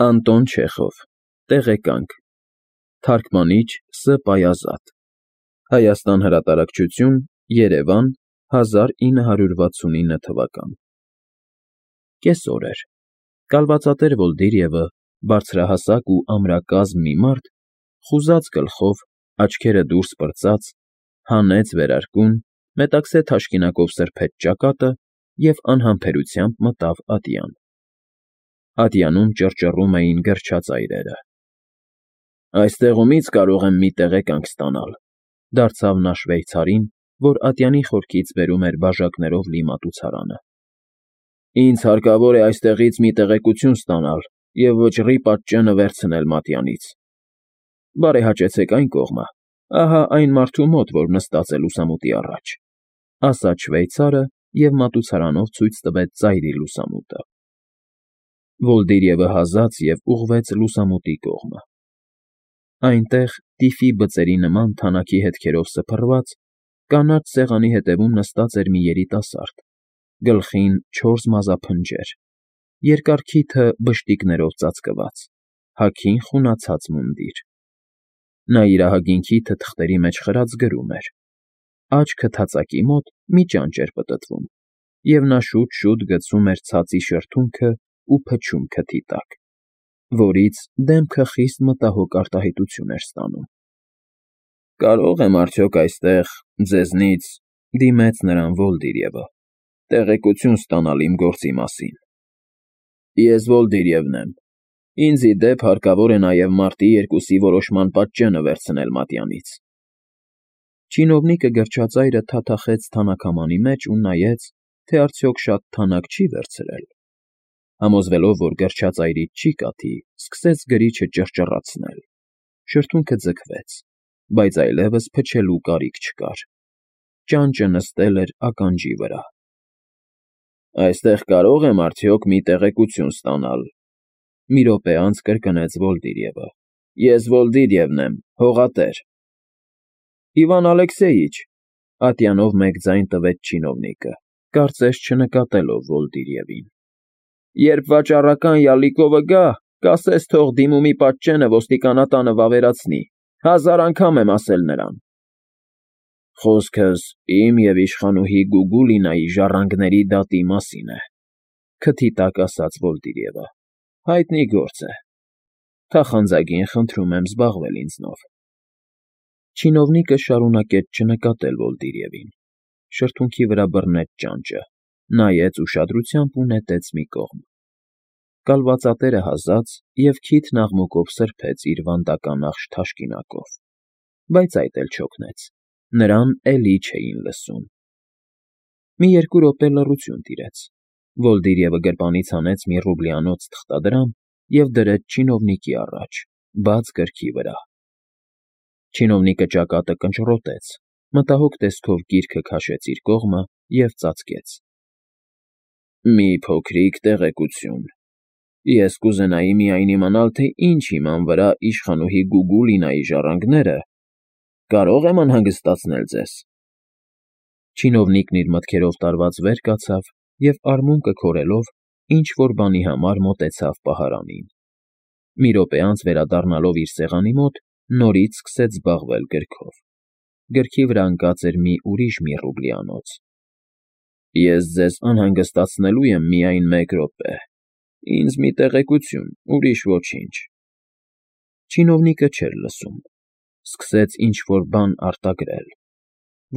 Անտոն Չեխով, Տեղեկանք, Թարգմանիչ Ս. Պայազատ, Հայաստան հրատարակչություն, Երևան, 1969 թվական։ Կեսօր էր։ Կալվածատեր Վոլդիրևը, բարձրահասակ ու ամրակազմ մի մարդ, խուզած գլխով, աչքերը դուրս պրծած, հանեց վերարկուն, մետաքսե թաշկինակով սրբեց ճակատը և անհամբերությամբ մտավ ատյան։ Ատյանում ճռճռում էին գրչաց այրերը։ «Այստեղումից կարող եմ մի տեղեկանք ստանալ», դարձավ նա շվեյցարին, որ ատյանի խորքից բերում էր բաժակներով լի մատուցարանը։ «Ինձ հարկավոր է այստեղից մի տեղեկություն ստանալ և վճռի պատճենը վերցնել մատյանից։ Բարեհաճեցեք այն կողմը, ահա այն մարդու մոտ, որ նստած է լուսամուտի առաջ», ասաց շվեյցարը և մատուցարանով ցույց տվեց ծայրի լուսամուտը։ Վոլդիրևը հազաց և ուղղվեց լուսամուտի կողմը։ Այնտեղ, տիֆի բծերի նման թանաքի հետքերով սփռված, կանաչ սեղանի հետևում նստած էր մի երիտասարդ, գլխին 4 մազափնջեր, երկար քիթը բշտիկներով ծածկված, հագին խունացած մունդիր։ Նա իր ահագին քիթը թղթերի մեջ խրած գրում էր։ Աջ քթածակի մոտ մի ճանճ էր պտտվում, և նա շուտ֊շուտ գցում էր ցածի շրթունքը ու փչում քթի տակ, որից դեմքը խիստ մտահոգ արտահայտություն էր ստանում։ «Կարո՞ղ եմ արդյոք այստեղ ձեզնից,֊ դիմեց նրան Վոլդիրևը,֊ տեղեկություն ստանալ իմ գործի մասին։ Ես Վոլդիրևն եմ։ Ինձ ի դեպ հարկավոր է նաև մարտի 2-ի որոշման պատճենը վերցնել մատյանից»։ Չինովնիկը գրչածայրը թաթախեց թանաքամանի մեջ ու նայեց, թե արդյոք շատ թանաք չի վերցրել։ Համոզվելով, որ գրչածայրից չի կաթի, սկսեց գրիչը ճռճռացնել։ Շրթունքը ձգվեց, բայց այլևս փչելու կարիք չկար։ Ճանճը նստել էր ականջի վրա։ «Այստեղ կարո՞ղ եմ արդյոք մի տեղեկություն ստանալ,֊ մի րոպե անց կրկնեց Վոլդիրևը։֊ Ես Վոլդիրևն եմ, հողատեր»։ «Իվան Ալեքսեյիչ», ատյանով մեկ ձայն տվեց չինովնիկը, կարծես չնկատելով Վոլդիրևին։ «Երբ վաճառական յալիկովը գա, կասես թող դիմումի պատճենը ոստիկանատանը վավերացնի, 1000 անգամ եմ ասել նրան»։ «Խոսքս իմ և իշխանուհի Գուգուլինայի ժառանգների դատի մասին է,֊ քթի տակ ասաց Վոլդիրևը։֊ Հայտնի գործ է։ Թախանձագին խնդրում եմ զբաղվել ինձնով»։ Չինովնիկը շարունակեց չնկատել Վոլդիրևին, շրթունքի վրա բռնեց ճանճը, նայեց ուշադրությամբ ու նետեց մի կողմ։ Կալվածատերը հազաց և քիթն աղմուկով սրբեց իր վանդականախշ թաշկինակով, բայց այդ էլ չօգնեց, նրան էլի չէին լսում։ Մի 2 րոպե լռություն տիրեց։ Վոլդիրևը գրպանից հանեց մի ռուբլյանոց թղթադրամ և դրեց չինովնիկի առաջ, բաց գրքի վրա։ Չինովնիկը ճակատը կնճռոտեց, մտահոգ տեսքով գիրքը քաշեց իր կողմը և ծածկեց։ «Մի փոքրիկ տեղեկություն. Ես կուզենայի միայն իմանալ, թե ինչ հիման վրա իշխանուհի Գուգուլինայի ժառանգները… Կարո՞ղ եմ անհանգստացնել ձեզ»։ Չինովնիկն իր մտքերով տարված վեր կացավ և արմունկը քորելով ինչ֊որ բանի համար մոտեցավ պահարանին։ Մի րոպե անց վերադառնալով իր սեղանի մոտ, նորից սկսեց զբաղվել գրքով։ Գրքի վրա ընկած էր մի ուրիշ մի ռուբլյանոց։ «Ես ձեզ անհանգստացնելու եմ միայն 1 րոպե. ինձ մի տեղեկություն, ուրիշ ոչինչ»։ Չինովնիկը չէր լսում, սկսեց ինչ֊որ բան արտագրել։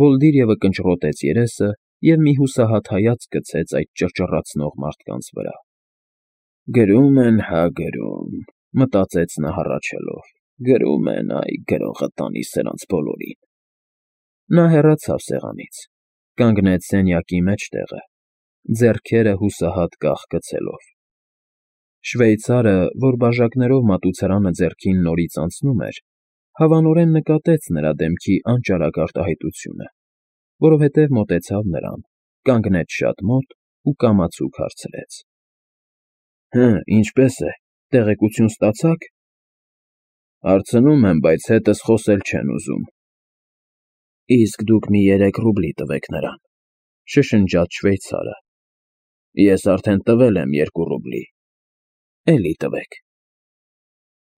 Վոլդիրևը կնճռոտեց երեսը և մի հուսահատ հայացք գցեց այդ ճռճռացնող մարդկանց վրա։ «Գրում են հա գրում,֊ մտածեց նա հառաչելով,֊ գրում են, այ գրողը տանի սրանց բոլորին»։ Նա հեռացավ սեղանից, կանգնեց սենյակի մեջտեղը, ձեռքերը հուսահատ կախ գցելով։ Շվեյցարը, որ բաժակներով մատուցարանը ձեռքին նորից անցնում էր, հավանորեն նկատեց նրա դեմքի անճարակ արտահայտությունը, որովհետև մոտեցավ նրան, կանգնեց շատ մոտ ու կամացուկ հարցրեց. «Հը, ինչպե՞ս է, տեղեկություն ստացա՞ք»։ «Հարցնում եմ, բայց հետս խոսել չեն ուզում»։ «Իսկ դուք մի 3 ռուբլի տվեք նրան,֊ շշնջաց շվեյցարը։ «Ես արդեն տվել եմ 2 ռուբլի»։ «Էլի տվեք»։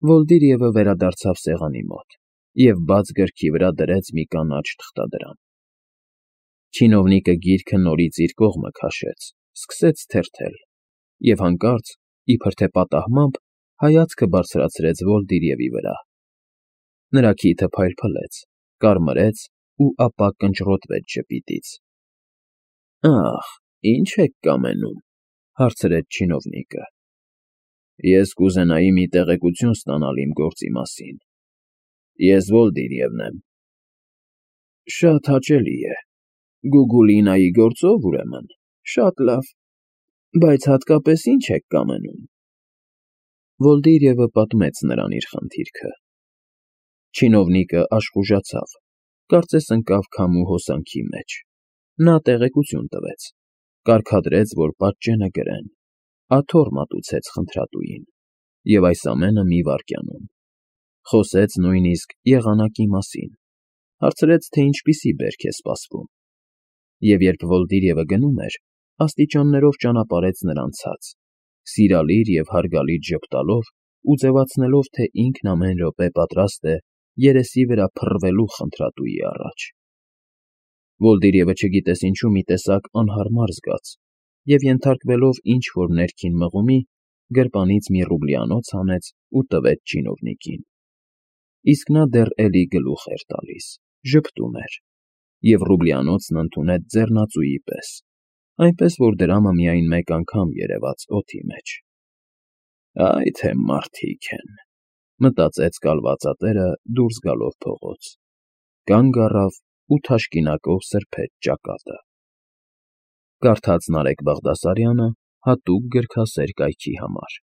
Վոլդիրիևը վերադարձավ սեղանի մոտ և բաց գրքի վրա դրեց մի կանաչ թղթադրամ։ Չինովնիկը գիրքը նորից իր կողմը քաշեց, սկսեց թերթել և հանկարծ, իբր թե պատահմամբ, հայացքը բարձրացրեց Վոլդիրիևի վրա։ Նրա քիթը փայլփլեց, կարմրեց ու ապա կնճռոտվեց ժպիտից։ «Ախ, ի՞նչ եք կամենում,֊ հարցրեց չինովնիկը։ «Ես կուզենայի մի տեղեկություն ստանալ իմ գործի մասին։ Ես Վոլդիրիևն եմ»։ «Շատ հաճելի է։ Գուգուլինայի գործո՞վ, ուրեմն։ Շատ լավ։ Բայց հատկապես ի՞նչ եք կամենում»։ Վոլդիրիևը պատմեց նրան իր խնդիրքը։ Չինովնիկը աշխուժացավ, կարծես ընկավ քամու հոսանքի մեջ։ Նա տեղեկություն տվեց, կարգադրեց, որ պատճենը գրեն, աթոռ մատուցեց խնդրատուին, և այս ամենը մի վայրկյանում։ Խոսեց նույնիսկ եղանակի մասին, հարցրեց, թե ինչպիսի բերք է սպասվում։ Եվ երբ Վոլդիրիևը գնում էր, աստիճաններով ճանապարհեց նրան ցած, սիրալիր և հարգալից ժպտալով ու ձևացնելով, թե ինքն ամեն րոպե պատրաստ է երեսի վրա փռվելու խնդրատուի առաջ։ Վոլդիրիևը չգիտես ինչու մի տեսակ անհարմար զգաց և, ենթարկվելով ինչ֊որ ներքին մղումի, գրպանից մի ռուբլիանոց հանեց ու տվեց չինովնիկին։ Իսկ նա դեռ էլի գլուխ էր տալիս, ժպտում էր, և ռուբլիանոցն ընդունեց ձեռնածուի պես, այնպես որ դրամը միայն մեկ անգամ երևաց օդի մեջ։ «Այ թե մարդիկ են,֊ մտածեց կալվածատերը դուրս գալով փողոց, կանգ առավ ու թաշկինակով սրբեց ճակատը»։ Կարդաց Նարեկ Բաղդասարյանը հատուկ գրքասեր կայքի համար։